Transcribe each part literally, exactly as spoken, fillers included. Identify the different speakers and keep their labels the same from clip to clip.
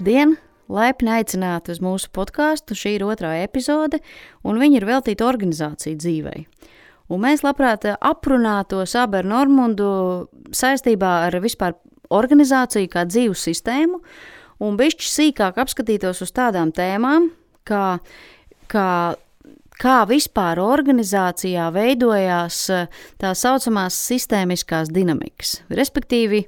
Speaker 1: Labdien! Laipni aicināti uz mūsu podkāstu, šī ir otrā epizode, un viņa ir veltīta organizāciju dzīvei. Un mēs labprāt aprunātos abi ar Normundu saistībā ar vispār organizāciju kā dzīvu sistēmu, un bišķi sīkāk apskatītos uz tādām tēmām, kā, kā, kā vispār organizācijā veidojās tā saucamās sistēmiskās dinamikas. Respektīvi,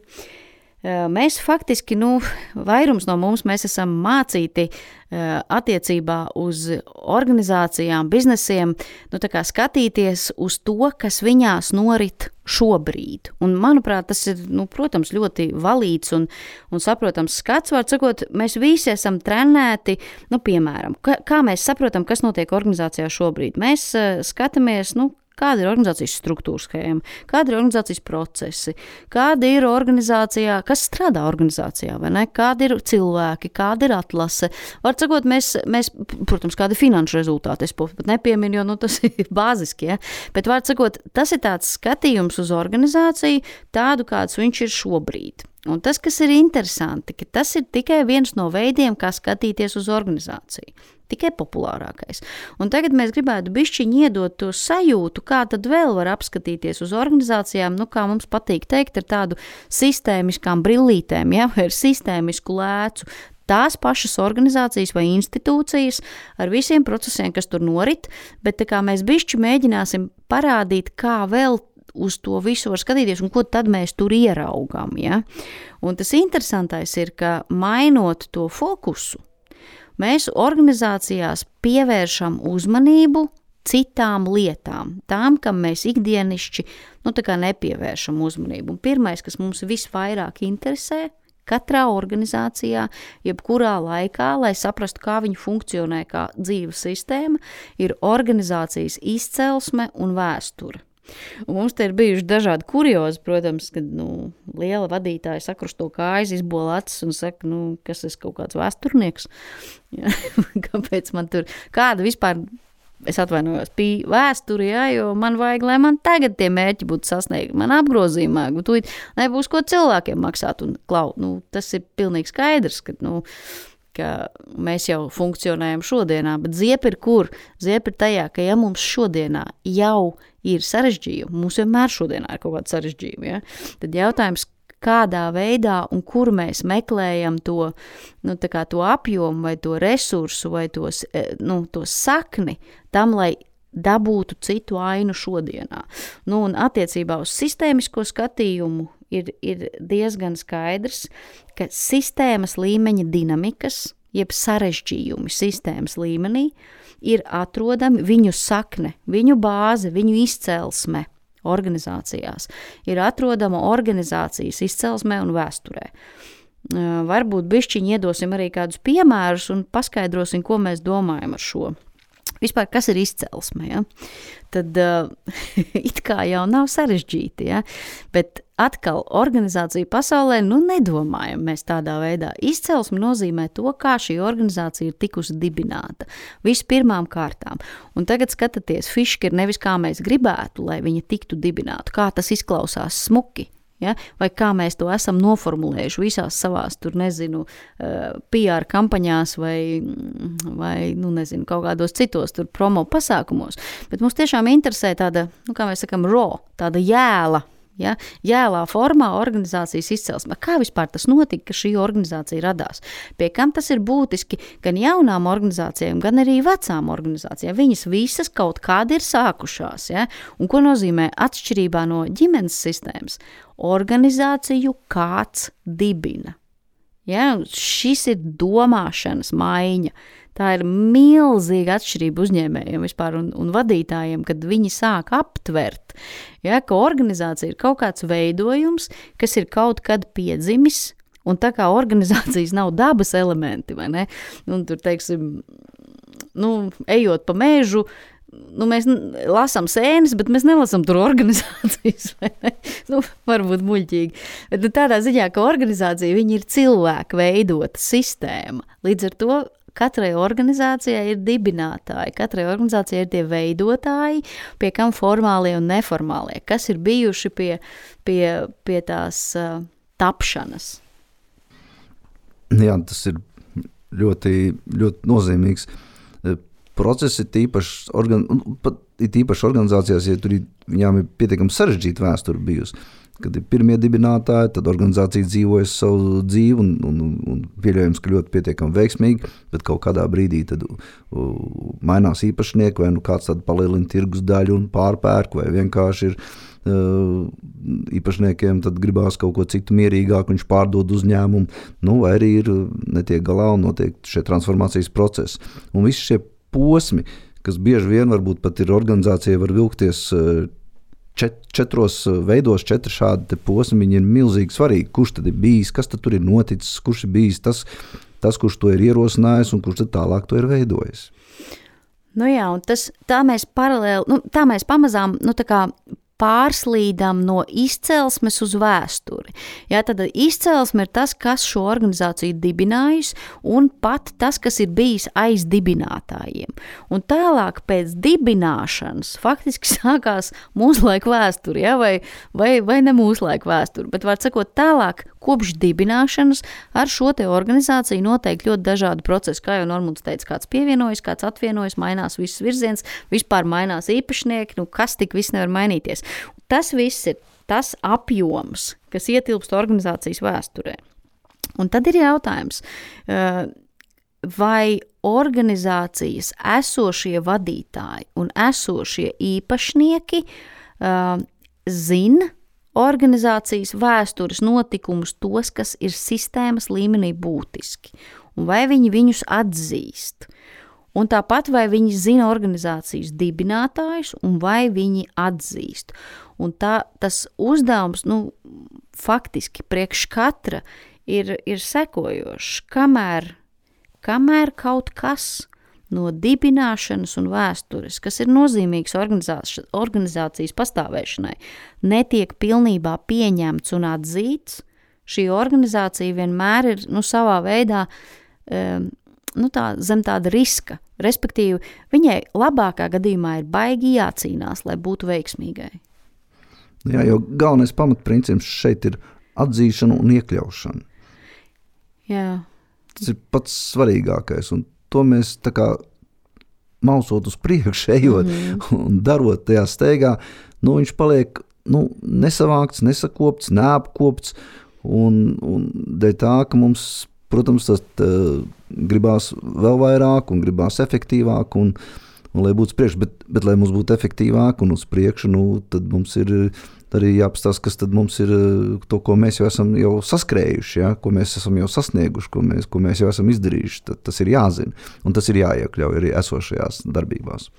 Speaker 1: mēs faktiski, nu, vairums no mums, mēs esam mācīti attiecībā uz organizācijām, biznesiem, nu, tā kā skatīties uz to, kas viņās norit šobrīd. Un, manuprāt, tas ir, nu, protams, ļoti valīds un, un saprotams skats. Var sakot, mēs visi esam trenēti, nu, piemēram, kā, kā mēs saprotam, kas notiek organizācijā šobrīd. Mēs uh, skatāmies, nu, kāda ir organizācijas struktūra schēma, kāda ir organizācijas procesi, kāda ir organizācijā, kas strādā organizācijā, vai ne? Kādi ir cilvēki, kāda ir atlase. Var sakot, mēs, mēs protams, kādi finanšu rezultāti, es pat nepieminu, jo nu, tas ir bāziski, ja? Bet var sakot, tas ir tāds skatījums uz organizāciju, tādu, kāds viņš ir šobrīd. Un tas, kas ir interesanti, ka tas ir tikai viens no veidiem, kā skatīties uz organizāciju. Tikai populārākais. Un tagad mēs gribētu bišķiņi iedot to sajūtu, kā tad vēl var apskatīties uz organizācijām, nu, kā mums patīk teikt, ar tādu sistēmiskām brillītēm, ja, vai ar sistēmisku lēcu. Tās pašas organizācijas vai institūcijas ar visiem procesiem, kas tur norit, bet tā kā mēs bišķi mēģināsim parādīt, kā vēl uz to visu var skatīties un ko tad mēs tur ieraugām. Ja? Un tas interesantais ir, ka mainot to fokusu, mēs organizācijās pievēršam uzmanību citām lietām, tām, kam mēs ikdienišķi nu, tā kā nepievēršam uzmanību. Un pirmais, kas mums visvairāk interesē, katrā organizācijā, jebkurā laikā, lai saprastu, kā viņi funkcionē kā dzīves sistēma, ir organizācijas izcelsme un vēsture. Un mums te ir bijuši dažādi kuriozi, protams, kad nu, liela vadītāja sakrusto kājas, izbola acis un saka, nu, kas es kaut kāds vēsturnieks. Ja? Kāpēc man tur, kāda vispār, es atvainojos, pie vēsturi, ja, jo man vajag, lai man tagad tie mērķi būtu sasniegti, man apgrozījumā, tu nebūs ko cilvēkiem maksāt un klaut. Nu, tas ir pilnīgi skaidrs, ka, nu, ka mēs jau funkcionējam šodienā, bet ziepa ir kur? Ziepa ir tajā, ka ja mums šodienā jau ir sarežģījumi, mums vienmēr šodienā ir kaut kāda sarežģījuma, ja? Tad jautājums, kādā veidā un kur mēs meklējam to, nu, tā kā to apjomu vai to resursu vai tos, nu, to sakni tam, lai dabūtu citu ainu šodienā. Nu, un attiecībā uz sistēmisko skatījumu ir, ir diezgan skaidrs, ka sistēmas līmeņa dinamikas, jeb sarežģījumi sistēmas līmenī, ir atrodami viņu sakne, viņu bāze, viņu izcelsme organizācijās. Ir atrodama organizācijas izcelsmē un vēsturē. Varbūt bišķiņi iedosim arī kādus piemērus un paskaidrosim, ko mēs domājam ar šo. Vispār, kas ir izcelsme, ja? Tad uh, it kā jau nav sarežģīti, ja? Bet atkal organizācija pasaulē, nu nedomājam mēs tādā veidā. Izcelsme nozīmē to, kā šī organizācija ir tikusi dibināta. Vispirmām kārtām. Un tagad skatāties, fiška ir nevis kā mēs gribētu, lai viņa tiktu dibināta, kā tas izklausās smuki. Ja? Vai kā mēs to esam noformulējuši visās savās, tur nezinu, P R kampaņās vai, vai nu nezinu, kaut kādos citos tur promo pasākumos. Bet mums tiešām interesē tāda, nu kā mēs sakam, raw, tāda jēla, ja? Jēlā formā organizācijas izcelsme. Kā vispār tas notika, ka šī organizācija radās? Pie kam tas ir būtiski gan jaunām organizācijām, gan arī vecām organizācijām? Viņas visas kaut kādi ir sākušās. Ja? Un ko nozīmē atšķirībā no ģimenes sistēmas? Organizāciju kāds dibina. Ja? Šis ir domāšanas maiņa. Tā ir milzīga atšķirība uzņēmējiem vispār un, un vadītājiem, kad viņi sāk aptvert, ja, ka organizācija ir kaut kāds veidojums, kas ir kaut kad piedzimis, un tā kā organizācijas nav dabas elementi, vai ne? Un tur, teiksim, nu, ejot pa mēžu, nu, mēs lasām sēnes, bet mēs nelasām tur organizācijas, vai ne? Nu, varbūt muļķīgi. Bet tādā ziņā, ka organizācija, viņi ir cilvēku veidota sistēma. Līdz ar to katrai organizācijai ir dibinātāji, katrai organizācijai ir tie veidotāji, pie kam formālie un neformālie, kas ir bijuši pie, pie, pie tās uh, tapšanas.
Speaker 2: Jā, tas ir ļoti, ļoti nozīmīgs. Procesi ir tīpaši, organ, pat ir tīpaši organizācijās, ja tur ir, viņām ir pietiekami sarežģīta vēsture bijusi. Kad ir pirmie dibinātāji, tad organizācija dzīvojas savu dzīvi un, un, un pieļaujams, ka ļoti pietiekami veiksmīgi, bet kaut kādā brīdī tad uh, mainās īpašnieki, vai nu kāds tad palielina tirgus daļu un pārpērk, vai vienkārši ir uh, īpašniekiem tad gribās kaut ko citu mierīgāk, viņš pārdod uzņēmumu, nu, vai arī ir netiek galā un notiek šie transformācijas procesi. Un visi šie posmi, kas bieži vien varbūt pat ir organizācija, var vilkties uh, Čet, četros veidos, četri šādi posmi, viņi ir milzīgi svarīgi. Kurš tad ir bijis, kas tad tur ir noticis, kurš ir bijis tas, tas kurš to ir ierosinājis un kurš tad tālāk to ir veidojis.
Speaker 1: Nu jā, un tas, tā mēs paralēli, nu, tā mēs pamazām, nu tā kā pārslīdam no izcelsmes uz vēsturi. Jā, tad izcelsme ir tas, kas šo organizāciju dibinājusi, un pat tas, kas ir bijis aiz dibinātājiem. Un tālāk pēc dibināšanas faktiski sākās mūslaika vēsturi, jā, vai, vai, vai ne mūslaika vēsturi, bet var sakot tālāk, kopš dibināšanas ar šo te organizāciju notiek ļoti dažādi procesi, kā jau Normunds teica, kāds pievienojas, kāds atvienojas, mainās viss virziens, vispār mainās īpašnieki, nu kas tik viss nevar mainīties. Tas viss ir tas apjoms, kas ietilpst organizācijas vēsturē. Un tad ir jautājums, vai organizācijas esošie vadītāji un esošie īpašnieki zina organizācijas vēstures notikumus tos, kas ir sistēmas līmenī būtiski, un vai viņi viņus atzīst. Un tāpat vai viņi zina organizācijas dibinātājus un vai viņi atzīst. Un tā, tas uzdevums, nu, faktiski priekš katra ir, ir sekojošs, kamēr, kamēr kaut kas no dibināšanas un vēstures, kas ir nozīmīgs organizācijas, organizācijas pastāvēšanai, netiek pilnībā pieņemts un atzīts, šī organizācija vienmēr ir, nu, savā veidā, um, nu, tā, zem tāda riska. Respektīvi, viņai labākā gadījumā ir baigi jācīnās, lai būtu veiksmīgai.
Speaker 2: Jā, jo galvenais pamatprincips šeit ir atzīšana un iekļaušana.
Speaker 1: Jā.
Speaker 2: Tas ir pats svarīgākais, un to mēs tā kā mausot uz priekšu, ejot mm-hmm. un darot tajā steigā, nu, viņš paliek nu, nesavākts, nesakopts, neapkopts, un, un dēļ tā, ka mums, protams, tas tā, gribās vēl vairāk un gribās efektīvāk, un, un lai būtu priekš, bet, bet lai mums būtu efektīvāk un uz priekšu, nu, tad mums ir arī jāpastāst, kas tad mums ir to, ko mēs jau esam jau saskrējuši, ja? Ko mēs esam jau sasnieguši, ko mēs, ko mēs jau esam izdarījuši. Tad, tas ir jāzina, un tas ir jāiekļauj arī esošajās darbībās.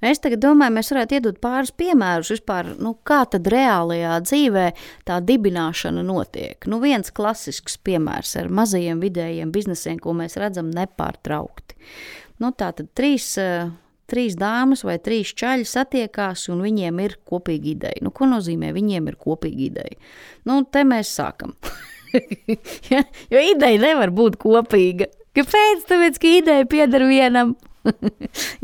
Speaker 1: Es tagad domāju, mēs varētu iedot pāris piemērus vispār, nu, kā tad reālajā dzīvē tā dibināšana notiek. Nu, viens klasisks piemērs ar mazajiem vidējiem biznesiem, ko mēs redzam nepārtraukti. Nu, tā tad trīs... Trīs dāmas vai trīs čaļi satiekās un viņiem ir kopīga ideja. Nu, ko nozīmē viņiem ir kopīga ideja? Nu, te mēs sākam. ja, jo ideja nevar būt kopīga. Kāpēc? Tāpēc, ka ideja pieder vienam.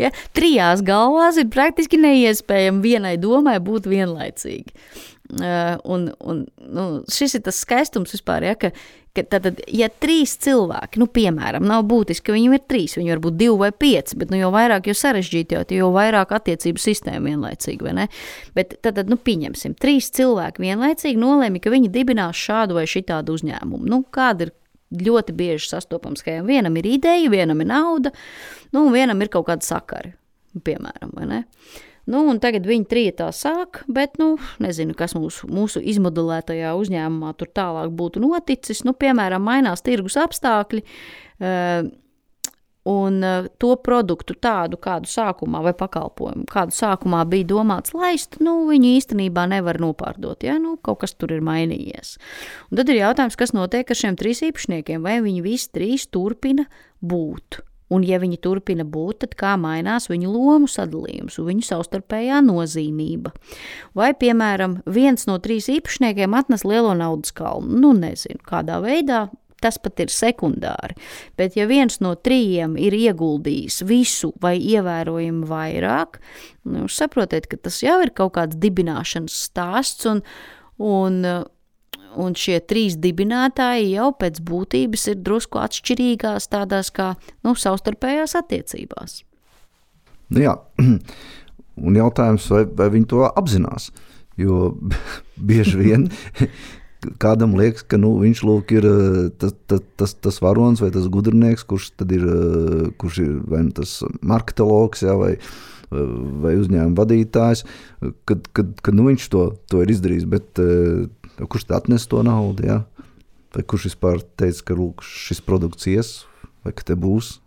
Speaker 1: ja, trijās galvās ir praktiski neiespējami vienai domai būt vienlaicīgi. Uh, un, un, nu, šis ir tas skaistums vispār, ja, ka, ka tad, ja trīs cilvēki, nu, piemēram, nav būtiski, ka viņiem ir trīs, viņi var būt divi vai pieci, bet, nu, jo vairāk, jo sarežģīti, jo, jo vairāk attiecību sistēma vienlaicīgi, vai ne? Bet tad, tad nu, pieņemsim, trīs cilvēki vienlaicīgi nolēmi, ka viņi dibinās šādu vai šitādu uzņēmumu. Nu, kāda ir ļoti bieži sastopama schēma? Vienam ir ideja, vienam ir nauda, nu, un vienam ir kaut kāda sakari, piemēram, vai ne? Nu, un tagad viņi trietā sāk, bet, nu, nezinu, kas mūsu, mūsu izmodelētajā uzņēmumā tur tālāk būtu noticis. Nu, piemēram, mainās tirgus apstākļi uh, un uh, to produktu tādu, kādu sākumā vai pakalpojumu, kādu sākumā bija domāts laist, nu, viņu īstenībā nevar nopārdot, ja, nu, kaut kas tur ir mainījies. Un tad ir jautājums, kas notiek ar šiem trīs īpašniekiem, vai viņi visi trīs turpina būt. Un, ja viņi turpina būt, tad kā mainās viņu lomu sadalījums un viņu savstarpējā nozīmība. Vai, piemēram, viens no trīs īpašniekiem atnes lielo naudas kalnu? Nu, nezinu, kādā veidā, tas pat ir sekundāri. Bet, ja viens no trījiem ir ieguldījis visu vai ievērojami vairāk, nu, saprotiet, ka tas jau ir kaut kāds dibināšanas stāsts un, un un šie trīs dibinātāji jau pēc būtības ir drusku atšķirīgās tādās kā, nu, savstarpējās attiecībās.
Speaker 2: Nu jā, un jautājums, vai, vai viņi to apzinās, jo bieži vien kādam liekas, ka nu, viņš lūk ir tas, tas, tas, tas varonis vai tas gudrinieks, kurš tad ir, kurš ir vai nu tas marketologs, jā, vai, vai uzņēmuma vadītājs, kad, kad, kad nu, viņš to, to ir izdarījis, bet kurš tad atnes to naudu, jā? Vai kurš vispār teica, ka lūk, šis produkts ies, vai ka te būs?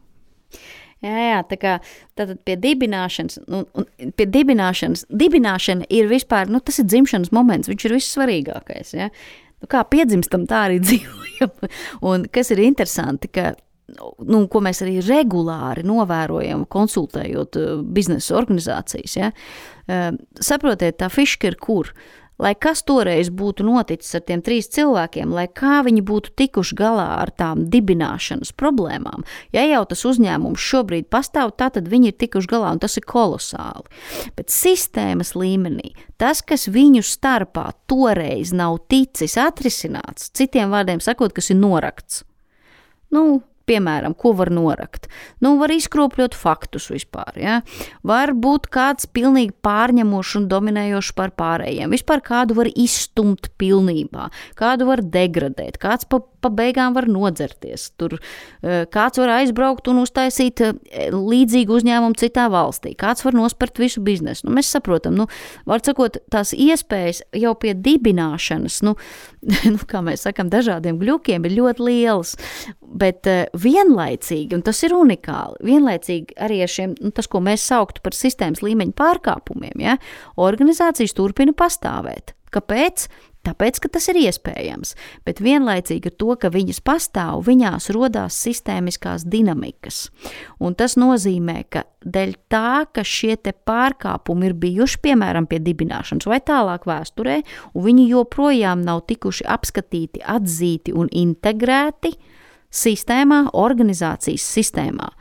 Speaker 1: Jā, jā, tā kā tātad pie dibināšanas, un, un pie dibināšanas, dibināšana ir vispār, nu tas ir dzimšanas moments, viņš ir vissvarīgākais, ja? Nu kā piedzimstam, tā arī dzīvojam. Un kas ir interesanti, ka, nu, ko mēs arī regulāri novērojam, konsultējot biznesa organizācijas, ja? Saprotiet, tā fiška ir kur? Lai kas toreiz būtu noticis ar tiem trīs cilvēkiem, lai kā viņi būtu tikuši galā ar tām dibināšanas problēmām, ja jau tas uzņēmums šobrīd pastāv, tā tad viņi ir tikuši galā, un tas ir kolosāli. Bet sistēmas līmenī, tas, kas viņu starpā toreiz nav ticis atrisināts, citiem vārdiem sakot, kas ir norakts, nu, piemēram, ko var norakt? Nu, var izkropļot faktus vispār, ja? Var būt kāds pilnīgi pārņemošs un dominējošs par pārējiem. Vispār kādu var izstumt pilnībā, kādu var degradēt, kāds pa, pa beigām var nodzerties. Tur kāds var aizbraukt un uztaisīt līdzīgu uzņēmumu citā valstī, kāds var nospert visu biznesu. Nu, mēs saprotam, nu, var sakot, tās iespējas jau pie dibināšanas, nu, nu kā mēs sakam, dažādiem gļukiem ir ļoti lielas, bet vienlaicīgi, un tas ir unikāli, vienlaicīgi arī ar šiem, nu, tas, ko mēs sauktu par sistēmas līmeņa pārkāpumiem, ja, organizācijas turpina pastāvēt. Kāpēc? Tāpēc, ka tas ir iespējams, bet vienlaicīgi ar to, ka viņas pastāv, viņās rodās sistēmiskās dinamikas. Un tas nozīmē, ka dēļ tā, ka šie te pārkāpumi ir bijuši, piemēram, pie dibināšanas vai tālāk vēsturē, un viņi joprojām nav tikuši apskatīti, atzīti un integrēti sistēmā, organizācijas sistēmā,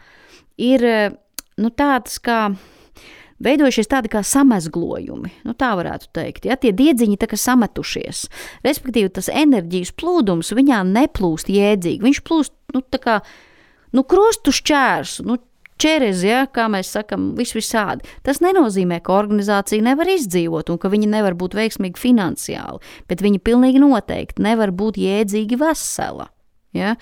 Speaker 1: ir, nu, tāds kā veidojušies tādi kā samezglojumi, nu tā varētu teikt, ja, tie diedziņi tā kā sametušies, respektīvi tas enerģijas plūdums viņā neplūst jēdzīgi, viņš plūst, nu tā kā, nu krustu šķērs, nu čerezi, ja, kā mēs sakam, vis visādi. Tas nenozīmē, ka organizācija nevar izdzīvot un ka viņa nevar būt veiksmīgi finansiāli, bet viņa pilnīgi noteikti nevar būt jēdzīgi vesela. Ja?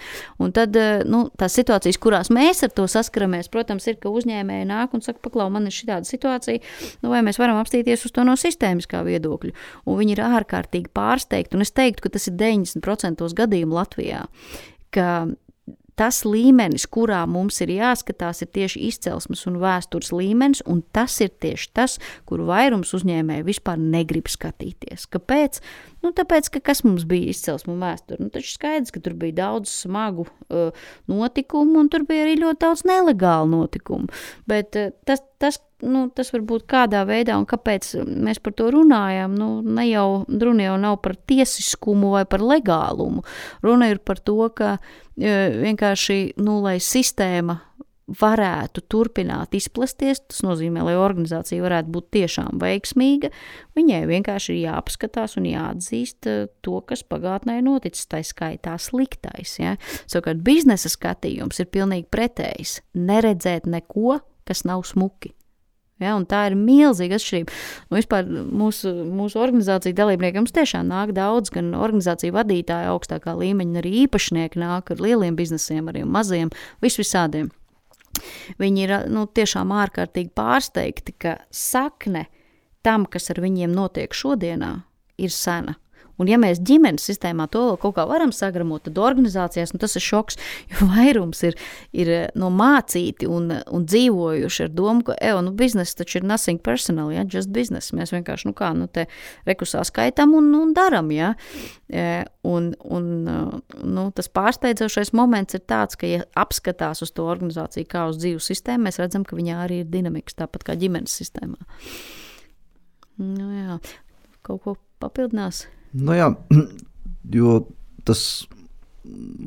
Speaker 1: Un tad, nu, tās situācijas, kurās mēs ar to saskaramies, protams, ir, ka uzņēmēji nāk un saka, paklau, man ir šitāda situācija, nu, vai mēs varam apstīties uz to no sistēmiskā viedokļa. Un viņi ir ārkārtīgi pārsteigti, un es teiktu, ka tas ir deviņdesmit procenti gadījumu Latvijā, ka tas līmenis, kurā mums ir jāskatās, ir tieši izcelsmes un vēstures līmenis, un tas ir tieši tas, kuru vairums uzņēmēji vispār negrib skatīties. Kāpēc? Nu, tāpēc, ka kas mums bija izcelsme un vēsture? Nu, taču skaidrs, ka tur bija daudz smagu uh, notikumu, un tur bija arī ļoti daudz nelegālu notikumu. Bet uh, tas, tas, nu, tas varbūt kādā veidā, un kāpēc mēs par to runājam, nu, ne jau, runa jau nav par tiesiskumu vai par legālumu. Runa ir par to, ka uh, vienkārši, nu, lai sistēma varētu turpināt izplesties, tas nozīmē, lai organizācija varētu būt tiešām veiksmīga, viņai vienkārši ir jāapskatās un jāatzīst to, kas pagātnē ir noticis, tā skaitā sliktais. Ja? Savukārt biznesa skatījums ir pilnīgi pretējs, neredzēt neko, kas nav smuki. Ja, un tā ir milzīga atšķirība. Un vispār mūsu, mūsu organizācija dalībniekiem mums tiešām nāk daudz, gan organizāciju vadītāji augstākā līmeņa, arī īpašnieki nāk ar lieliem biznesiem, arī maziem, visvisādiem. Viņi ir, nu, tiešām ārkārtīgi pārsteigti, ka sakne tam, kas ar viņiem notiek šodienā, ir sena. Un ja mēs ģimenes sistēmā to vēl kaut kā varam sagramot, tad organizācijās, nu, tas ir šoks, jo vairums ir, ir no mācīti un, un dzīvojuši ar domu, ka, evo, nu, bizness taču ir nothing personal, ja, just business. Mēs vienkārši, nu kā, nu, te rekusā skaitam un, un daram, ja. Un, un, nu, tas pārsteidzošais moments ir tāds, ka, ja apskatās uz to organizāciju kā uz dzīvu sistēmu, mēs redzam, ka viņā arī ir dinamikas, tāpat kā ģimenes sistēmā. Nu jā, kaut ko papildinās?
Speaker 2: Nu jā, jo tas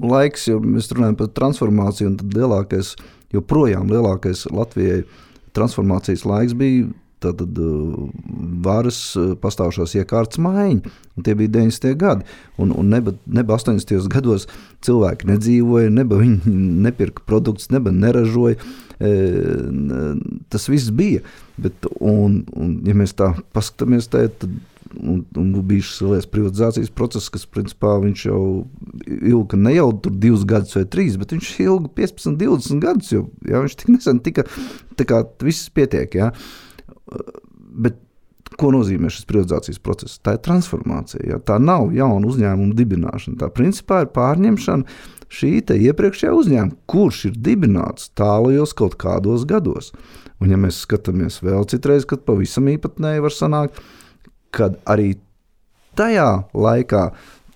Speaker 2: laiks, jo mēs runājam par transformāciju, un tad lielākais, joprojām lielākais Latvijai transformācijas laiks bija tātad varas pastāvšās iekārtas maiņa, un tie bija deviņdesmitie gadi, un, un neba, neba astoņdesmitajos gados cilvēki nedzīvoja, neba viņi nepirka produktus, neba neražoja, tas viss bija, bet, un, un ja mēs tā paskatāmies tā, tad un, un bija šis liels privatizācijas process, kas principā viņš jau ilga ne jau tur divus gadus vai trīs, bet viņš ilga piecpadsmit, divdesmit gadus, jo jā, viņš tik nesen tika, tā kā viss pietiek, jā. Bet ko nozīmē šis privatizācijas process? Tā ir transformācija, jā. Tā nav jauna uzņēmuma dibināšana, tā principā ir pārņemšana šī te iepriekšējā uzņēmuma, kurš ir dibināts tālajos kaut kādos gados. Un ja mēs skatāmies vēl citreiz, kad pavisam īpatnēji var sanākt, kad arī tajā laikā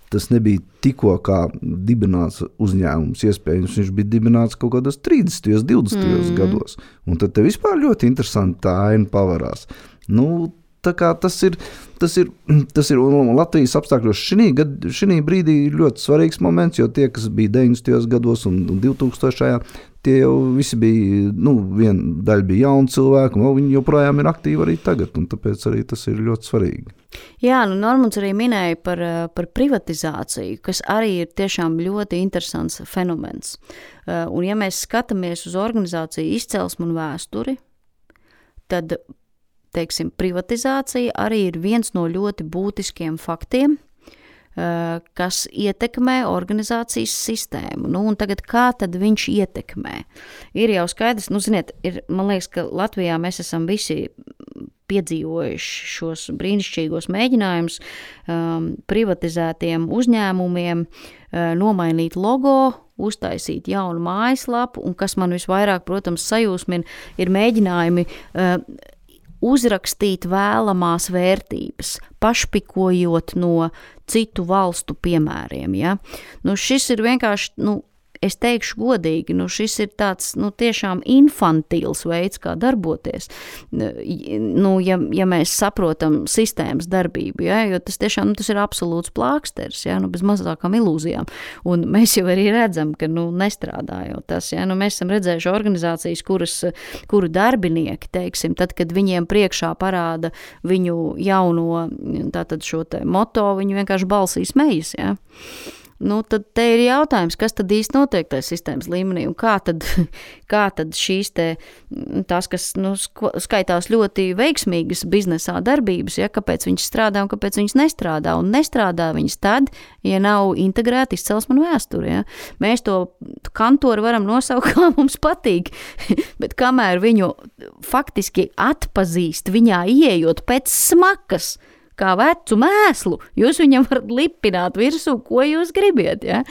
Speaker 2: tas nebija tikko kā dibināts uzņēmums, iespējams, viņš bija dibināts kaut kādos trīsdesmitajos, divdesmitajos mm. gados. Un tad te vispār ļoti interesanti tā aina pavarās. Nu, tā kā tas ir, tas ir, tas ir un Latvijas apstākļos šī, gad, šī brīdī ļoti svarīgs moments, jo tie, kas bija deviņdesmitajos gados un, un divtūkstošajā, tie jau visi bija, nu, viena daļa bija jauni cilvēki, un viņi joprojām ir aktīvi arī tagad, un tāpēc arī tas ir ļoti svarīgi.
Speaker 1: Jā, nu Normunds arī minēja par, par privatizāciju, kas arī ir tiešām ļoti interesants fenomens. Un ja mēs skatāmies uz organizāciju izcelsmu un vēsturi, tad, teiksim, privatizācija arī ir viens no ļoti būtiskiem faktiem, kas ietekmē organizācijas sistēmu. Nu, un tagad kā tad viņš ietekmē? Ir jau skaidrs, nu, ziniet, ir, man liekas, ka Latvijā mēs esam visi piedzīvojuši šos brīnišķīgos mēģinājumus um, privatizētiem uzņēmumiem uh, nomainīt logo, uztaisīt jaunu mājaslapu, un kas man visvairāk, protams, sajūsmina, ir mēģinājumi uh, uzrakstīt vēlamās vērtības, pašpikojot no citu valstu piemēriem. Ja? Nu, šis ir vienkārši, nu, es teikšu godīgi, nu, šis ir tāds, nu, tiešām infantils veids, kā darboties, nu, ja, ja mēs saprotam sistēmas darbību, ja? Jo tas tiešām, nu, tas ir absolūts plāksters, ja? Nu, bez mazākām ilūzijām. Un mēs jau arī redzam, ka, nu, nestrādā jau tas, ja? Nu, mēs esam redzējuši organizācijas, kuras, kuru darbinieki, teiksim, tad, kad viņiem priekšā parāda viņu jauno, tātad šo te moto, viņi vienkārši balsī smejas, ja? Nu, tad te ir jautājums, kas tad īsti notiek tajā sistēmas līmenī un kā tad, kā tad šīs te, tās, kas, nu, skaitās ļoti veiksmīgas biznesā darbības, ja, kāpēc viņas strādā un kāpēc viņas nestrādā, un nestrādā viņas tad, ja nav integrēta izcelsme un vēsture, ja. Mēs to kantoru varam nosaukt, kā mums patīk, bet kamēr viņu faktiski atpazīst, viņā ieejot pēc smakas, kā vecu mēslu, jūs viņam varat lipināt virsū, ko jūs gribiet, ja?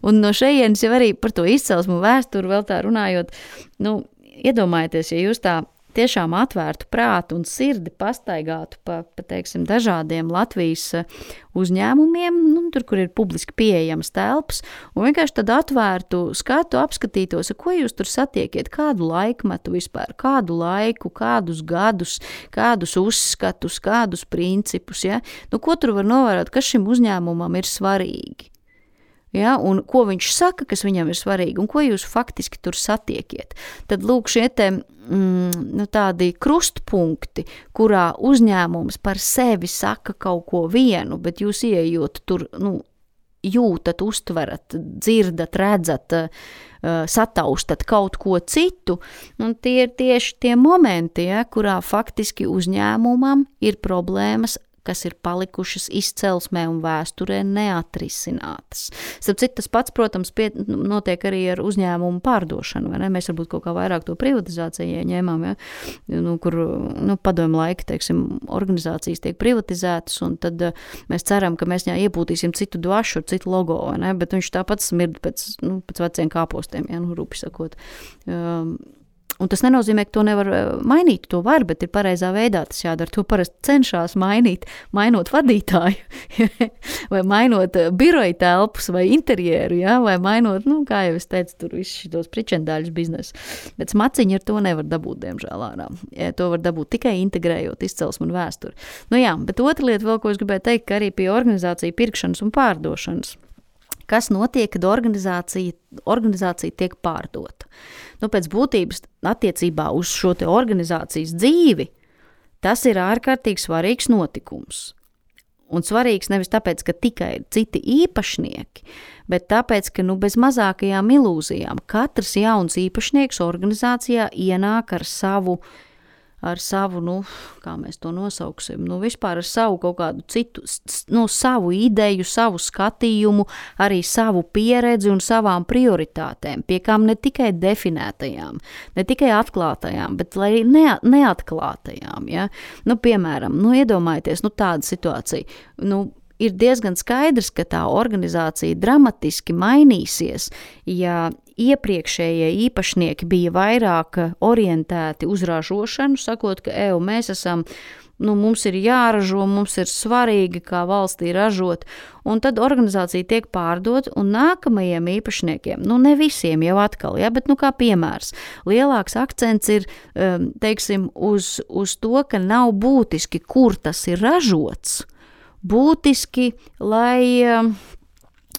Speaker 1: Un no šejienes jau arī par to izcelsmu vēsturi vēl tā runājot, nu, iedomājieties, ja jūs tā tiešām atvērtu prātu un sirdi pastaigātu pa, pa teiksim, dažādiem Latvijas uzņēmumiem, nu, tur, kur ir publiski pieejams telpas, un vienkārši tad atvērtu skatu, apskatītos, ko jūs tur satiekiet, kādu laikmetu vispār, kādu laiku, kādus gadus, kādus uzskatus, kādus principus, ja? Nu, ko tur var novērot, kas šim uzņēmumam ir svarīgi? Ja, un ko viņš saka, kas viņam ir svarīgi, un ko jūs faktiski tur satiekiet. Tad lūk šie te, mm, nu, tādi krustpunkti, kurā uzņēmums par sevi saka kaut ko vienu, bet jūs ieejot tur, nu, jūtat, uztverat, dzirdat, redzat, uh, sataustat kaut ko citu, un tie ir tieši tie momenti, ja, kurā faktiski uzņēmumam ir problēmas, kas ir palikušas izcelsmē un vēsturē neatrisinātas. Starp citu, tas pats, protams, pie, notiek arī ar uzņēmumu pārdošanu, vai ne? Mēs varbūt kaut kā vairāk to privatizāciju ieņēmām, ja? Nu, kur, nu, padomju laika, teiksim, organizācijas tiek privatizētas, un tad uh, mēs ceram, ka mēs viņā iepūtīsim citu dvašu ar citu logo, vai ne? Bet viņš tāpat smird pēc, nu, pēc veciem kāpostiem, ja, nu, rupi sakot. Um, Un tas nenozīmē, ka to nevar mainīt, to var, bet ir pareizā veidā tas jādara. To parasti cenšās mainīt, mainot vadītāju, vai mainot biroja telpas vai interjeru, ja? Vai mainot, nu, kā jau es teicu, tur visus šitos pričendāļus biznesu. Bet smaciņi ar to nevar dabūt, diemžēl ārā. To var dabūt tikai integrējot izcelsmu un vēsturi. Nu jā, bet otra lieta vēl, ko es gribēju teikt, ka arī pie organizācija pirkšanas un pārdošanas. Kas notiek, kad organizācija, organizācija tiek pārdota? Nu, pēc būtības attiecībā uz šo te organizācijas dzīvi, Tas ir ārkārtīgi svarīgs notikums. Un svarīgs nevis tāpēc, ka tikai ir citi īpašnieki, bet tāpēc, ka nu, bez mazākajām ilūzijām katrs jauns īpašnieks organizācijā ienāk ar savu, ar savu, nu, kā mēs to nosauksim, nu, vispār ar savu kaut kādu citu, nu, savu ideju, savu skatījumu, arī savu pieredzi un savām prioritātēm, pie kām ne tikai definētajām, ne tikai atklātajām, bet arī ne, neatklātajām, ja? Nu, piemēram, nu, iedomājieties, nu, tāda situācija, nu, ir diezgan skaidrs, ka tā organizācija dramatiski mainīsies, ja iepriekšējie īpašnieki bija vairāk orientēti uz ražošanu, sakot, ka eju, mēs esam, nu, mums ir jāražo, mums ir svarīgi, kā valstī ražot, un tad organizācija tiek pārdot, un nākamajiem īpašniekiem, nu, ne visiem jau atkal, ja, bet, nu, kā piemērs, lielāks akcents ir, teiksim, uz, uz to, ka nav būtiski, kur tas ir ražots, būtiski, lai,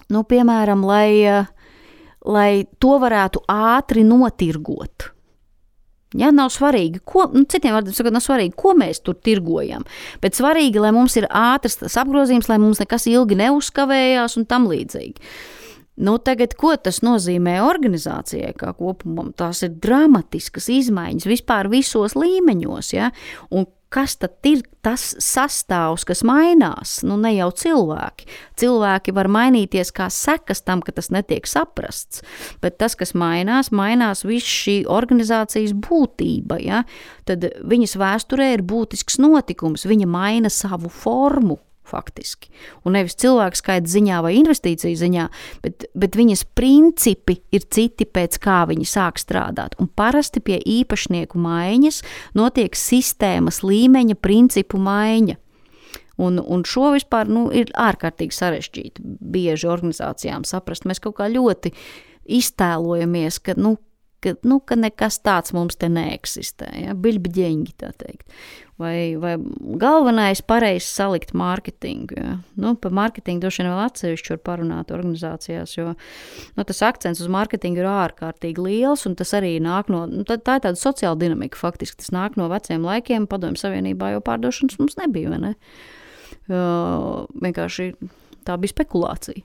Speaker 1: nu, piemēram, lai, lai to varētu ātri notirgot. Ja, nav svarīgi, ko, nu, citiem vārdiem sakot, nav svarīgi, ko mēs tur tirgojam, bet svarīgi, lai mums ir ātrs tas apgrozījums, lai mums nekas ilgi neuzkavējās un tam līdzīgi. Nu, tagad, ko tas nozīmē organizācijai kā kopumam? Tās ir dramatiskas izmaiņas vispār visos līmeņos, ja, un kas tad ir tas sastāvs, kas mainās? Nu, ne jau cilvēki. Cilvēki var mainīties kā sekas tam, ka tas netiek saprasts, bet tas, kas mainās, mainās viss šī organizācijas būtība, ja? Tad viņas vēsturē ir būtisks notikums, viņa maina savu formu, faktiski. Un nevis cilvēku skaita ziņā vai investīciju ziņā, bet, bet viņas principi ir citi, pēc kā viņi sāk strādāt. Un parasti pie īpašnieku maiņas notiek sistēmas līmeņa principu maiņa. Un, un šo vispār, nu, ir ārkārtīgi sarežģīti bieži organizācijām saprast. Mēs kaut kā ļoti iztēlojamies, ka, nu, ka, nu, ka nekas tāds mums te neeksistē, ja? Biļbiģeņgi, tā teikt. Vai, vai galvenais pareizi salikt mārketingu. Ja? Nu, par mārketingu droši vien vēl atsevišķi var parunāt organizācijās, jo nu, tas akcents uz mārketingu ir ārkārtīgi liels, un tas arī nāk no, nu, tā, tā ir tāda sociāla dinamika faktiski, tas nāk no veciem laikiem, Padomju Savienībā jau pārdošanas mums nebija, vai ne? Uh, vienkārši tā bija spekulācija.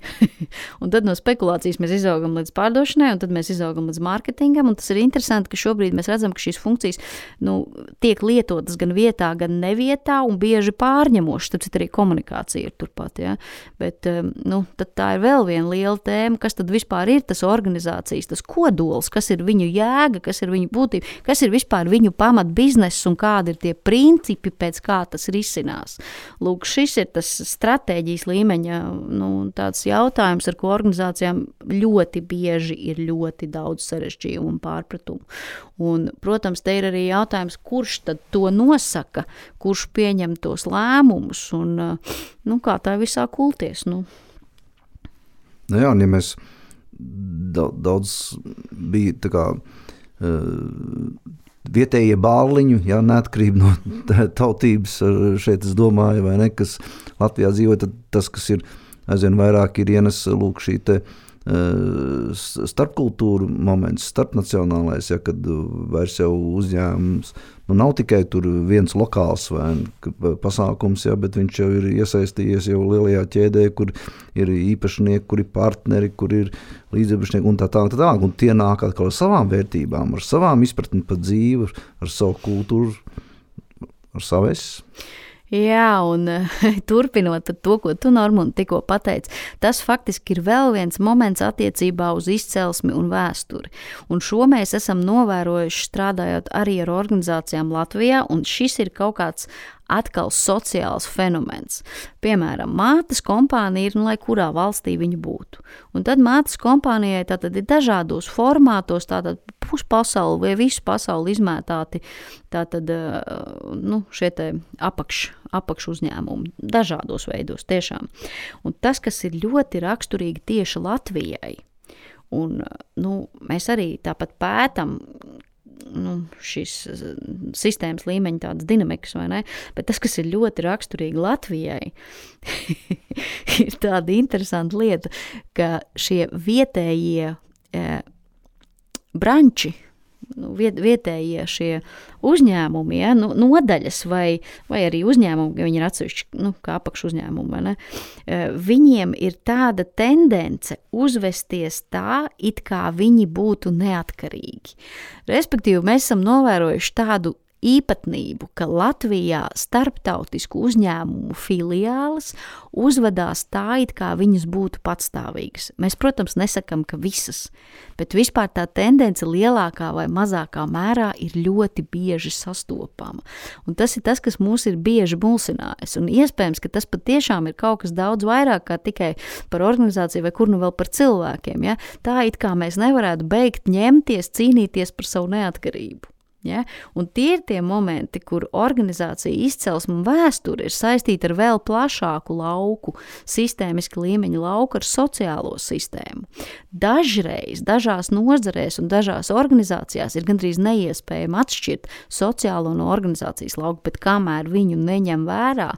Speaker 1: Un tad no spekulācijas mēs izaugam līdz pārdošanai, un tad mēs izaugam līdz mārketingam, un tas ir interesanti, ka šobrīd mēs redzam, ka šīs funkcijas, nu, tiek lietotas gan vietā, gan nevietā, un bieži pārņemošas, tāpēc arī komunikācija ir turpat, ja. Bet, nu, tad tā ir vēl viena liela tēma, kas tad vispār ir tas organizācijas, tas kodols, kas ir viņu jēga, kas ir viņu būtība, kas ir vispār viņu pamat bizness un kādi ir tie principi, pēc kā tas risinās. Lūk, šis ir tas stratēģijas līmeņa nu, tāds jautājums, ar ko organizācijām ļoti bieži ir ļoti daudz sarežģījumu un pārpratumu. Un, protams, te ir arī jautājums, kurš tad to nosaka, kurš pieņem tos lēmumus un, nu, kā tā visā kulties. Nu.
Speaker 2: Nu jā, un ja mēs daudz bija tā kā uh, vietējie bāliņu, jā, neatkarība no tautības, šeit es domāju, vai ne, kas Latvijā dzīvo, tad tas, kas ir aizvien vairāk ir ienes, lūk, šī te uh, starpkultūru moments, starpnacionālais, ja, kad vairs jau uzņēmums, nu nav tikai tur viens lokāls vai pasākums, ja, bet viņš jau ir iesaistījies jau lielajā ķēdē, kur ir īpašnieki, kur ir partneri, kur ir līdziepašnieki un tā tālāk, tā tālāk, un tie nāk atkal ar savām vērtībām, ar savām izpratni par dzīvi, ar savu kultūru, ar savu es.
Speaker 1: Jā, un turpinot to, ko tu, Normund, tikko pateici, tas faktiski ir vēl viens moments attiecībā uz izcelsmi un vēsturi. Un šo mēs esam novērojuši strādājot arī ar organizācijām Latvijā, un šis ir kaut kāds atkal sociāls fenomens. Piemēram, mātes kompānija ir, nu, lai kurā valstī viņa būtu. Un tad mātes kompānijai tātad ir dažādos formātos, tātad puspasauli vai visu pasauli izmētāti tātad, nu, šie te apakš, apakš uzņēmumi, dažādos veidos tiešām. Un tas, kas ir ļoti raksturīgi tieši Latvijai, un, nu, mēs arī tāpat pētam, nu, šīs sistēmas līmeņa tādas dinamikas, vai ne? Bet tas, kas ir ļoti raksturīgi Latvijai, ir tāda interesanta lieta, ka šie vietējie e, branči, nu, viet, vietējie šie uzņēmumi, ja, nu, nodaļas vai, vai arī uzņēmumi, viņi ir atsevišķi, nu, kā apakš uzņēmumi, vai ne? Viņiem ir tāda tendence uzvesties tā, it kā viņi būtu neatkarīgi. Respektīvi, mēs esam novērojuši tādu īpatnību, ka Latvijā starptautisku uzņēmumu filiāles uzvedās tā, it kā viņas būtu patstāvīgas. Mēs, protams, nesakam, ka visas, bet vispār tā tendence lielākā vai mazākā mērā ir ļoti bieži sastopama. Un tas ir tas, kas mūs ir bieži mulsinājis. Un iespējams, ka tas patiešām ir kaut kas daudz vairāk kā tikai par organizāciju vai kur nu vēl par cilvēkiem. Ja? Tā it kā mēs nevarētu beigt ņemties, cīnīties par savu neatkarību. Ja? Un tie ir tie momenti, kur organizācija izcelsme un vēsture ir saistīta ar vēl plašāku lauku, sistēmiski līmeņa lauku ar sociālo sistēmu. Dažreiz, dažās nozarēs un dažās organizācijās ir gandrīz neiespējami atšķirt sociālo no organizācijas lauku, bet kamēr viņu neņem vērā,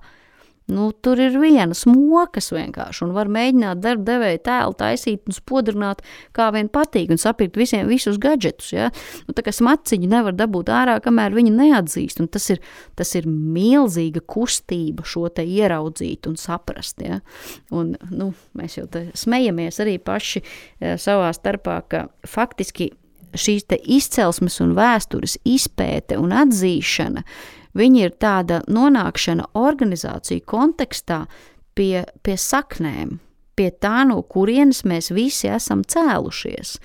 Speaker 1: nu, tur ir vienas mokas vienkārši un var mēģināt darba devēja tēlu taisīt un spodrināt, kā vien patīk un sapirkt visiem visus gadžetus, ja? Nu, tā kā smaciņu nevar dabūt ārā, kamēr viņi neatzīst, un tas ir, tas ir milzīga kustība šo te ieraudzīt un saprast, ja? Un, nu, mēs jau te smejamies arī paši ja, savā starpā, ka faktiski šīs te izcelsmes un vēstures izpēte un atzīšana, viņi ir tāda nonākšana organizāciju kontekstā pie, pie saknēm, pie tā, no kurienes mēs visi esam cēlušies.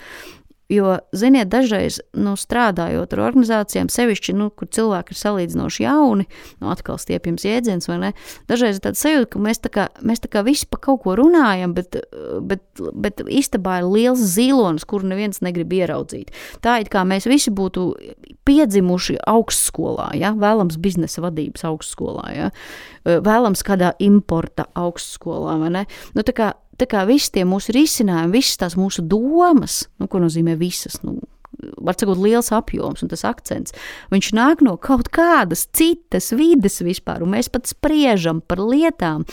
Speaker 1: Jo, ziniet, dažreiz, nu, strādājot ar organizācijām, sevišķi, nu, kur cilvēki ir salīdzinoši jauni, nu, atkal stiepjams jēdziens, vai ne, dažreiz ir tāda sajūta, ka mēs tā kā, mēs tā kā visi pa kaut ko runājam, bet, bet, bet istabā ir liels zilonis, kuru neviens negrib ieraudzīt. Tā it kā mēs visi būtu piedzimuši augstskolā, ja, vēlams biznesa vadības augstskolā, ja, vēlams kādā importa augstskolā, vai ne, nu, tā kā, Tā kā visi tie mūsu risinājumi, visas tās mūsu domas, nu, ko nozīmē visas, nu, var sakot liels apjoms un tas akcents, viņš nāk no kaut kādas citas vides vispār, un mēs pat spriežam par lietām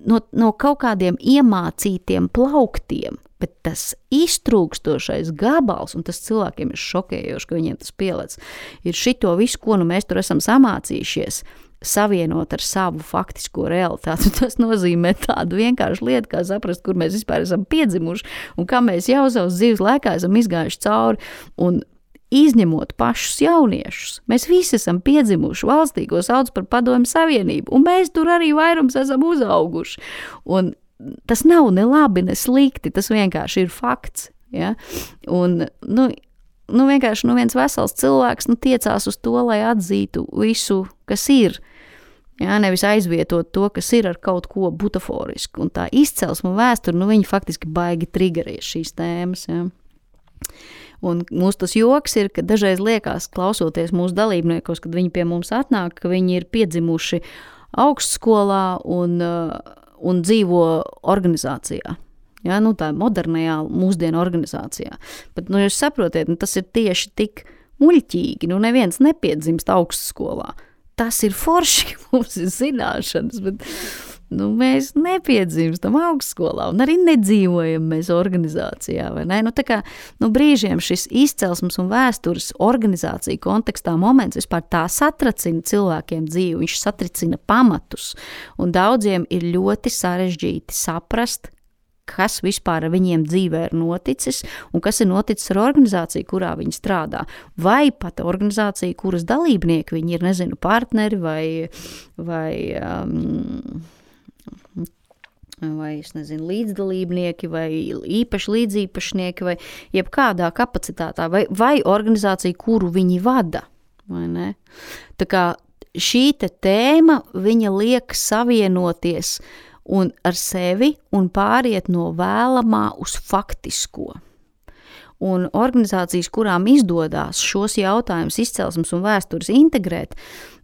Speaker 1: no, no kaut kādiem iemācītiem plauktiem, bet tas iztrūkstošais gabals, un tas cilvēkiem ir šokējoši, ka viņiem tas pielec, ir šito visu, ko nu mēs tur esam samācījušies, savienot ar savu faktisko realitāti. Tas nozīmē tādu vienkāršu lietu, kā saprast, kur mēs vispār esam piedzimuši un kā mēs jau savas dzīves laikā esam izgājuši cauri un izņemot pašus jauniešus. Mēs visi esam piedzimuši valstī, ko sauc par Padomju Savienību, un mēs tur arī vairums esam uzauguši. Un tas nav ne labi, ne slikti, tas vienkārši ir fakts. Ja? Un, nu, Nu, vienkārši nu, viens vesels cilvēks nu, tiecās uz to, lai atzītu visu, kas ir. Jā, nevis aizvietot to, kas ir ar kaut ko butaforisku. Un tā izcelsme un vēsture, nu, viņi faktiski baigi triggerēs šīs tēmas. Jā. Un mūsu tas joks ir, ka dažreiz liekas, klausoties mūsu dalībniekos, kad viņi pie mums atnāk, ka viņi ir piedzimuši augstskolā un, un dzīvo organizācijā. Ja, nu, tā modernajā mūsdienu organizācijā. Bet, nu, jūs saprotiet, nu, tas ir tieši tik muļķīgi, nu, neviens nepiedzimst augstskolā. Tas ir forši, mums ir zināšanas, bet, nu, mēs nepiedzimstam augstskolā un arī nedzīvojam mēs organizācijā, vai ne? Nu, tā kā, nu, brīžiem šis izcelsmes un vēstures organizācija kontekstā moments vispār tā satracina cilvēkiem dzīvi, viņš satricina pamatus, un daudziem ir ļoti sarežģīti saprast, kas vispār ar viņiem dzīvē ir noticis un kas ir noticis ar organizāciju, kurā viņi strādā. Vai pat organizācija, kuras dalībnieki viņi ir, nezinu, partneri vai, vai, um, vai es nezinu, līdzdalībnieki vai īpaši līdzīpašnieki vai jebkādā kapacitātā vai, vai organizācija, kuru viņi vada. Vai ne? Tā kā šī te tēma, viņa liek savienoties un ar sevi un pāriet no vēlamā uz faktisko. Un organizācijas, kurām izdodās šos jautājumus izcelsmes un vēstures integrēt,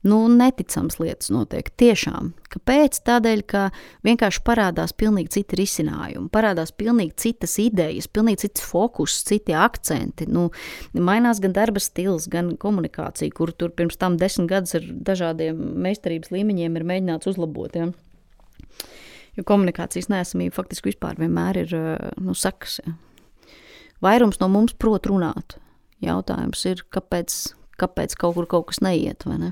Speaker 1: nu, neticams lietas notiek tiešām. Kāpēc? Tādēļ, ka vienkārši parādās pilnīgi citi risinājumi, parādās pilnīgi citas idejas, pilnīgi cits fokus, citi akcenti. Nu, mainās gan darba stils, gan komunikācija, kur tur pirms tam desmit gadus ar dažādiem meistarības līmeņiem ir mēģināts uzlabot, ja? Jo komunikācijas neesamība faktiski vispār vienmēr ir, nu, sakas. Ja. Vairums no mums prot runāt. jautājums ir, kāpēc, kāpēc kaut kur kaut kas neiet, vai ne?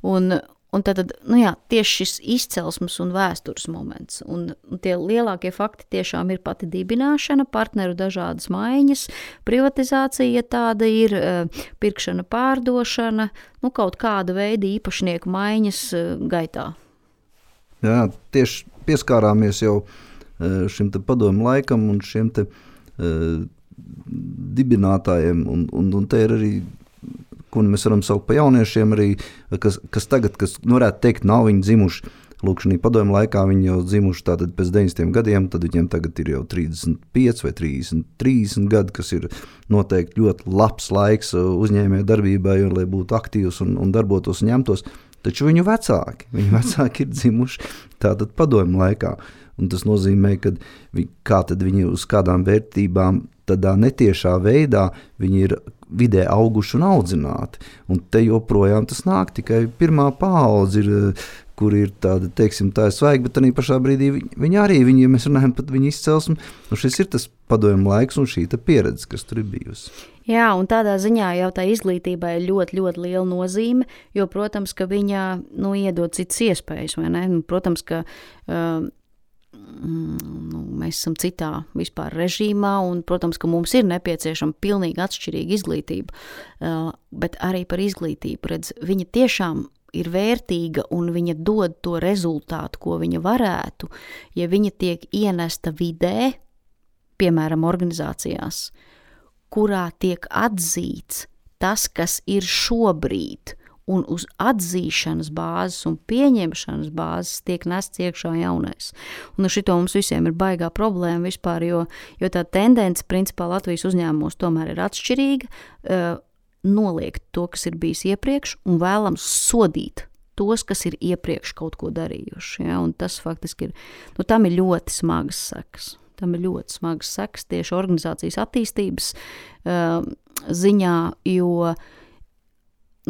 Speaker 1: Un, un tad, nu jā, tieši šis izcelsmes un vēstures moments. Un, un tie lielākie fakti tiešām ir pati dibināšana, partneru dažādas maiņas, privatizācija, ja tāda ir, pirkšana, pārdošana, nu kaut kāda veida īpašnieku maiņas gaitā.
Speaker 2: Jā, tieši pieskārāmies jau šim te padomu laikam un šiem te uh, dibinātājiem, un, un, un te ir arī, ko mēs varam saukt pa jauniešiem arī, kas, kas tagad, kas nu, varētu teikt, nav viņi dzimuši. Lūk, šī padomju laikā viņi jau dzimuši tātad pēc deviņdesmitiem gadiem, tad viņiem tagad ir jau trīsdesmit pieci vai trīsdesmit, trīsdesmit gadi, kas ir noteikti ļoti labs laiks uzņēmē darbībai, un, lai būtu aktīvs un, un darbotos un ņemtos. Taču viņu vecāki, viņu vecāki ir dzimuši tātad padomju laikā. Un tas nozīmē, ka vi, kā tad viņi uz kādām vērtībām tādā netiešā veidā viņi ir vidē auguši un audzināti. Un te joprojām tas nāk, tikai pirmā paudze ir, kur ir tāda, teiksim, tā ir svaigi, bet arī pašā brīdī viņi, viņi arī, viņi, ja mēs runājam pat viņu izcelsmi, un šis ir tas padomju laiks un šī pieredze, kas tur ir bijusi.
Speaker 1: Jā, un tādā ziņā jau tā izglītībai ir ļoti, ļoti liela nozīme, jo, protams, ka viņa, nu, iedod citas iespējas, vai ne? Protams, ka uh, nu, mēs esam citā vispār režīmā, un, protams, ka mums ir nepieciešama pilnīgi atšķirīga izglītība, uh, bet arī par izglītību, redz, viņa tiešām ir vērtīga un viņa dod to rezultātu, ko viņa varētu, ja viņa tiek ienesta vidē, piemēram, organizācijās, kurā tiek atzīts tas, kas ir šobrīd, un uz atzīšanas bāzes un pieņemšanas bāzes tiek nests iekšā jaunais. Un ar šito mums visiem ir baigā problēma vispār, jo, jo tā tendence, principā, Latvijas uzņēmumos tomēr ir atšķirīga, uh, noliegt to, kas ir bijis iepriekš, un vēlams sodīt tos, kas ir iepriekš kaut ko darījuši. Ja? Un tas faktiski ir, nu, tam ir ļoti smagas sekas. Tam ir ļoti smagas sekas tieši organizācijas attīstības uh, ziņā, jo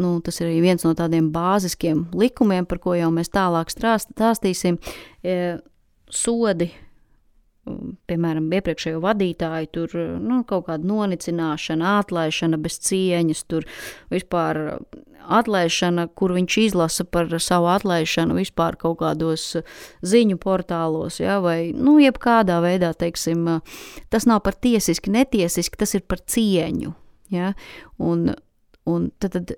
Speaker 1: nu, tas ir arī viens no tādiem bāziskiem likumiem, par ko jau mēs tālāk stāstīsim. Uh, sodi, piemēram, iepriekšējo vadītāju, tur nu, kaut kāda nonicināšana, atlaišana bez cieņas, tur vispār atlaišana, kur viņš izlasa par savu atlaišanu vispār kaut kādos ziņu portālos, ja, vai, nu, jebkādā veidā, teiksim, tas nav par tiesiski, netiesiski, tas ir par cieņu, ja, un Un tad, tad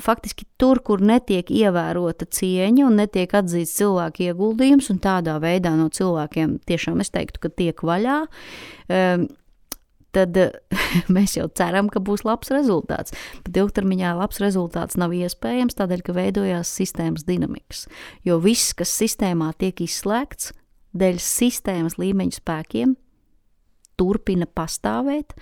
Speaker 1: faktiski tur, kur netiek ievērota cieņa un netiek atzīts cilvēku ieguldījums, un tādā veidā no cilvēkiem tiešām es teiktu, ka tiek vaļā, tad mēs jau ceram, ka būs labs rezultāts. Bet ilgtermiņā labs rezultāts nav iespējams, tādēļ, ka veidojās sistēmas dinamikas. Jo viss, kas sistēmā tiek izslēgts, dēļ sistēmas līmeņa spēkiem, turpina pastāvēt,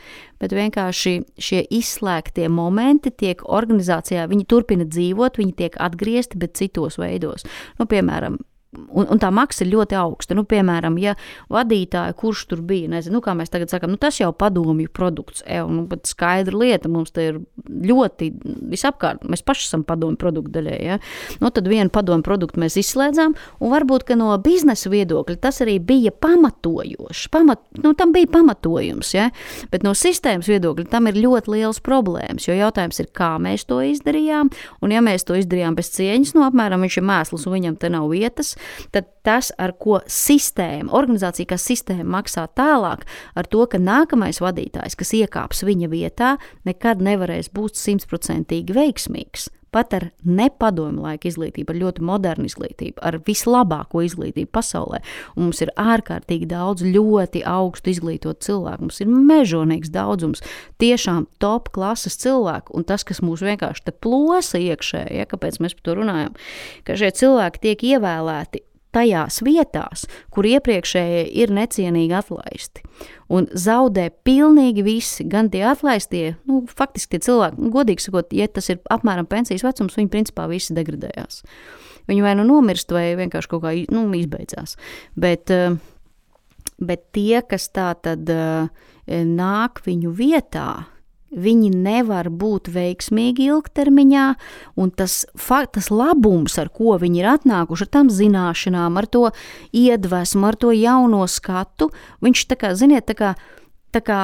Speaker 1: bet vienkārši šie izslēgtie momenti tiek organizācijā, viņi turpina dzīvot, viņi tiek atgriezti, bet citos veidos. Nu, piemēram, un, un tā maksa ir ļoti augsta. Nu, piemēram, ja vadītāja, kurš tur bija, nezinu, nu, kā mēs tagad sakam, nu, tas jau padomju produkts, e, nu, bet skaidra lieta, mums te ir ļoti visapkārt, mēs paši esam padomju produktu daļai, ja? Nu, tad vienu padomju produktu mēs izslēdzām, un varbūt, ka no biznesa viedokļa tas arī bija pamatojošs, pamat, nu, tam bija pamatojums, ja? Bet no sistēmas viedokļa tam ir ļoti liels problēmas, jo jautājums ir, kā mēs to izdarījām, un ja mēs to izdarījām bez cieņas, nu, apmēram viņš ir mēsls un viņam te nav vietas, tad tas, ar ko sistēma, organizācija, kā sistēma maksā tālāk, ar to, ka nākamais vadītājs, kas iekāps viņa vietā, nekad nevarēs būt simtprocentīgi veiksmīgs. Pat ar nepadomju laika izglītību, ar ļoti modernu izglītību, ar vislabāko izglītību pasaulē. Un mums ir ārkārtīgi daudz ļoti augstu izglītotu cilvēku. Mums ir mežonīgs daudzums, tiešām top klases cilvēku. Un tas, kas mūs vienkārši te plosa iekšē, ja, kāpēc mēs par to runājam, ka šie cilvēki tiek ievēlēti tajās vietās, kur iepriekšējie ir necienīgi atlaisti. Un zaudē pilnīgi visi, gan tie atlaistie, nu, faktiski tie cilvēki, nu, godīgi sakot, ja tas ir apmēram pensijas vecums, viņi principā visi degradējās. Viņi vai nu nomirst, vai vienkārši kaut kā, nu, izbeidzās. Bet, bet tie, kas tā tad nāk viņu vietā, viņi nevar būt veiksmīgi ilgtermiņā, un tas, tas labums, ar ko viņi ir atnākuši, ar tam zināšanām, ar to iedvesmu, ar to jauno skatu, viņš tā kā, ziniet, tā kā, tā kā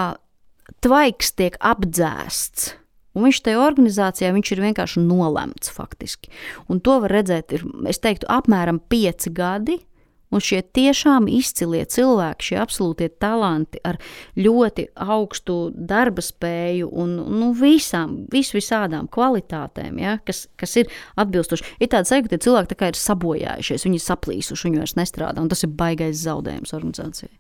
Speaker 1: tvaiks tiek apdzēsts, Un viņš tajā organizācijā, viņš ir vienkārši nolemts faktiski. Un to var redzēt, ir, es teiktu, apmēram pieci gadi, un šie tiešām izcilie cilvēki, šie absolūtie talanti ar ļoti augstu darba spēju un nu, visām, vis visādām kvalitātēm, ja, kas, kas ir atbilstoši. Ir tāda sajūta, ka tie cilvēki tā kā ir sabojājušies, viņi ir saplīsuši, viņi vairs nestrādā, un tas ir baigais zaudējums organizācijai.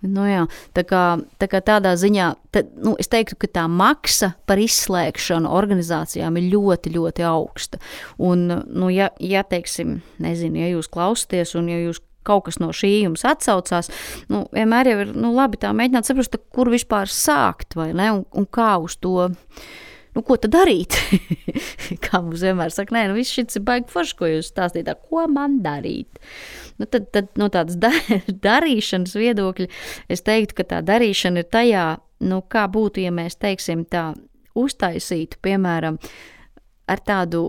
Speaker 1: Nu jā, tā kā, tā kā tādā ziņā, tad, nu, es teiktu, ka tā maksa par izslēgšanu organizācijām ir ļoti, ļoti augsta. Un, nu, ja, ja teiksim, nezinu, ja jūs klausaties un ja jūs kaut kas no šī jums atsaucās, nu, vienmēr jau ir, nu, labi tā mēģināt saprast, kur vispār sākt, vai ne, un, un kā uz to, nu, ko tad darīt? Kā mums vienmēr saka, nē, nu, viss šits ir baigi forši, ko jūs stāstīt, ko man darīt? Nu, tad, tad no tādas da- darīšanas viedokļa es teiktu, ka tā darīšana ir tajā, nu, kā būtu, ja mēs, teiksim, tā uztaisītu, piemēram, ar tādu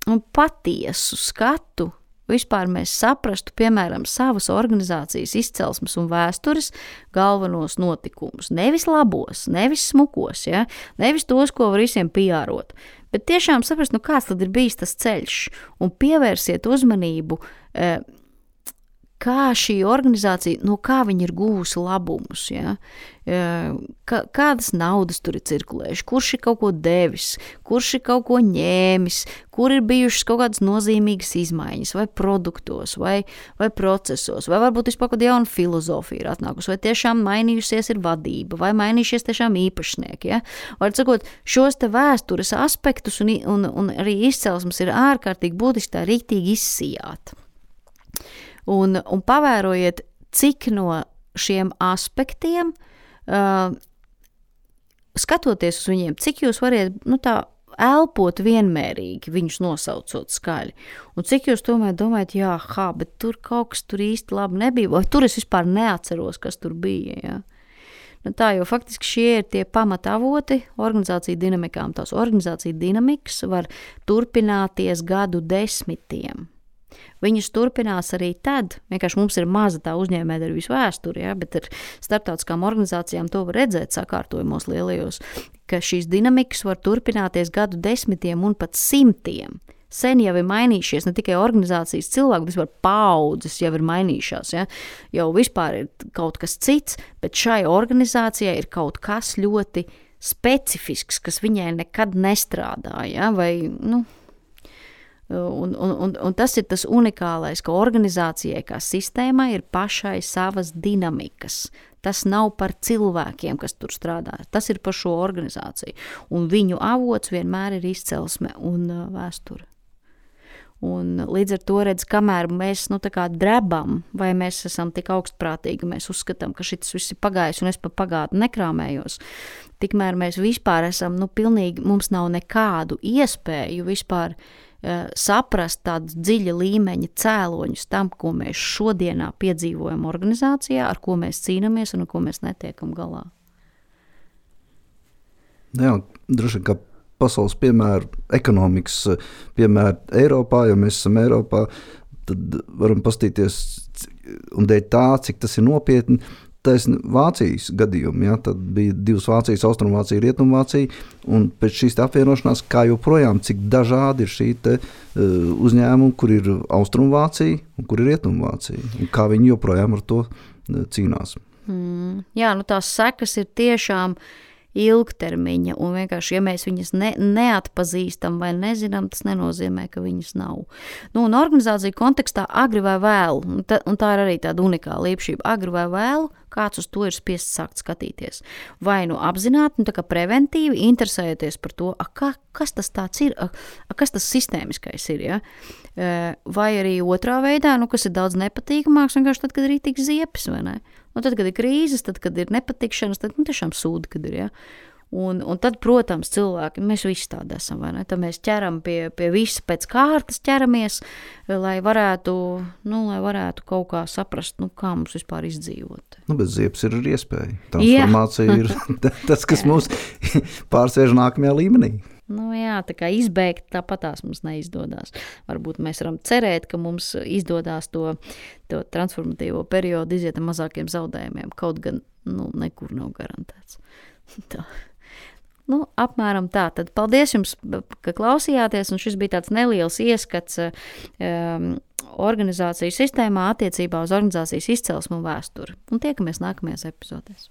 Speaker 1: nu, patiesu skatu, vispār mēs saprastu, piemēram, savas organizācijas izcelsmes un vēstures galvenos notikumus. Nevis labos, nevis smukos, ja? Nevis tos, ko var visiem piārot, bet tiešām saprast, nu, kāds tad ir bijis tas ceļš, un pievērsiet uzmanību, kā šī organizācija, no kā viņi ir gūsi labumus, ja? Kādas naudas tur ir cirkulējuši, kurš ir kaut ko devis, kurš ir kaut ko ņēmis, kur ir bijušas kaut kādas nozīmīgas izmaiņas, vai produktos, vai, vai procesos, vai varbūt vispār kāda jauna filozofija ir atnākusi, vai tiešām mainījusies ir vadība, vai mainījušies tiešām īpašnieki. Ja? Var sakot, šos te vēstures aspektus un, un, un arī izcelsmes ir ārkārtīgi būtiski tā rīktīgi izsijāt. Un, un pavērojiet, cik no šiem aspektiem, uh, skatoties uz viņiem, cik jūs variet, nu tā, elpot vienmērīgi, viņus nosaucot skaļi. Un cik jūs tomēr domājat, jā, hā, bet tur kaut kas tur īsti labi nebija, vai tur es vispār neatceros, kas tur bija, jā. Nu tā, jo faktiski šie ir tie pamatavoti organizāciju dinamikām. Tās organizāciju dinamikas var turpināties gadu desmitiem. Viņas turpinās arī tad, vienkārši mums ir maza tā uzņēmējdarbības vēsture, ja, bet ar starptautiskām organizācijām to var redzēt sakārtojumos lielajos, ka šīs dinamikas var turpināties gadu desmitiem un pat simtiem. Sen jau ir mainījušies ne tikai organizācijas cilvēki, bet vispār paaudzes jau ir mainījušās. Ja? Jau vispār ir kaut kas cits, bet šai organizācijai ir kaut kas ļoti specifisks, kas viņai nekad nestrādāja. Ja? Vai, nu, Un, un, un, un tas ir tas unikālais, ka organizācijai kā sistēmai ir pašai savas dinamikas. Tas nav par cilvēkiem, kas tur strādā. Tas ir par šo organizāciju. Un viņu avots vienmēr ir izcelsme un uh, vēsture. Un līdz ar to redz, kamēr mēs nu, tā kā drebam, vai mēs esam tik augstprātīgi, mēs uzskatām, ka šis viss ir pagājis un es pa pagātni nekrāmējos. Tikmēr mēs vispār esam, nu pilnīgi, mums nav nekādu iespēju vispār saprast tādus dziļa līmeņa cēloņus tam, ko mēs šodienā piedzīvojam organizācijā, ar ko mēs cīnāmies un ar ko mēs netiekam galā.
Speaker 2: Jā, droši vien, ka pasaules piemēru, ekonomikas piemēru Eiropā, jo mēs esam Eiropā, tad varam pastīties un dēļ tā, cik tas ir nopietni. Taisn Vācijas gadījumi, ja, tad bija divas Vācijas, Austrumvācija, Rietumvācija, un pēc šīs apvienošanās, kā joprojām, cik dažādi ir šī te uh, uzņēmumi, kur ir Austrumvācija un kur ir Rietumvācija, un kā viņi joprojām ar to uh, cīnās.
Speaker 1: Mm, jā, nu tās sekas ir tiešām ilgtermiņa, un vienkārši, ja mēs viņas ne, neatpazīstam vai nezinām, tas nenozīmē, ka viņas nav. Nu, un organizācija kontekstā agri vai vēlu, un tā, un tā ir arī tāda unikāla īpašība, agri vai vēlu, kāds uz to ir spiests sākt skatīties. Vai nu apzināti, nu tā kā preventīvi, interesējoties par to, a, kā, kas tas tāds ir, a, a, kas tas sistēmiskais ir, ja? Vai arī otrā veidā, nu, kas ir daudz nepatīkamāks, vienkārši tad, kad ir rītīgs ziepes, vai ne? Nu, tad, kad ir krīzes, tad, kad ir nepatikšanas, tad nu, tiešām sūdi, kad ir, ja? Un, un tad, protams, cilvēki, mēs visi tādi esam, vai ne? Tad mēs ķeram pie, pie visa pēc kārtas ķeramies, lai varētu, nu, lai varētu kaut kā saprast, nu, kā mums vispār izdzīvot.
Speaker 2: Nu, bet ziepes ir arī iespēja. Transformācija ir tas, kas mums pārsviež nākamajā līmenī.
Speaker 1: Nu jā, tā kā izbēgt tāpatās mums neizdodas. Varbūt mēs varam cerēt, ka mums izdodas to, to transformatīvo periodu iziet ar mazākiem zaudējumiem, kaut gan, nu, nekur nav garantēts. Tā. Nu, apmēram tā. Tad paldies jums, ka klausījāties, un šis bija tāds neliels ieskats um, organizāciju sistēmā attiecībā uz organizācijas izcelsmu un vēsturi. Un tiekamies nākamajās epizodēs.